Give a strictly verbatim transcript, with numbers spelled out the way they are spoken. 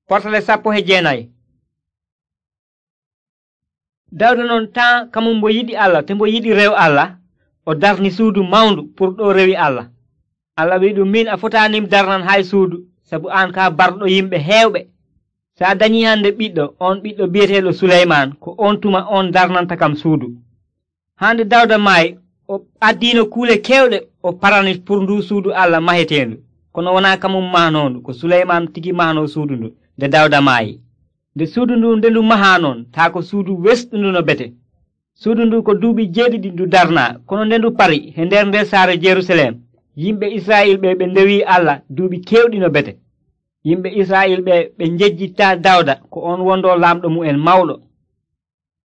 Portale sappo he jeenayi. Dawda noon tan kamum mbo yiɗi Allah te mbo yiɗi rew Allah, o darni suudu mawndu pour ɗo rewi Allah. Allah wi ɗum, min a fotanim darnan hay suudu, sabu an ka barɗo yimɓe heewɓe. Sa dañi hande ɓiɗɗo, on ɓiɗɗo biyeteeɗo Suleyman, ko on tuma on darnanta kam suudu. Hande Dawda maayi, o addino kuule kewɗe o parani pour ndu suudu Allah mahetendu, kono wona kamum mahnondu, ko Suleyman tigi mahno suudu ndu nde Dawda maayi. Nde suudu ndu nde ndu maha noon, taa ko suudu wesɗundu no bete. Suudu ndu ko duuɓi jeeɗiɗi ndu darna, kono nde ndu pari he nder nder saare Jerusalem, yimɓe Israyil ɓe ɓe ndewi Allah duuɓi kewɗi no bete. Yimɓe Israyil ɓe ɓe njejjitta Dawda ko on wondo laamɗo mu'en mawɗo.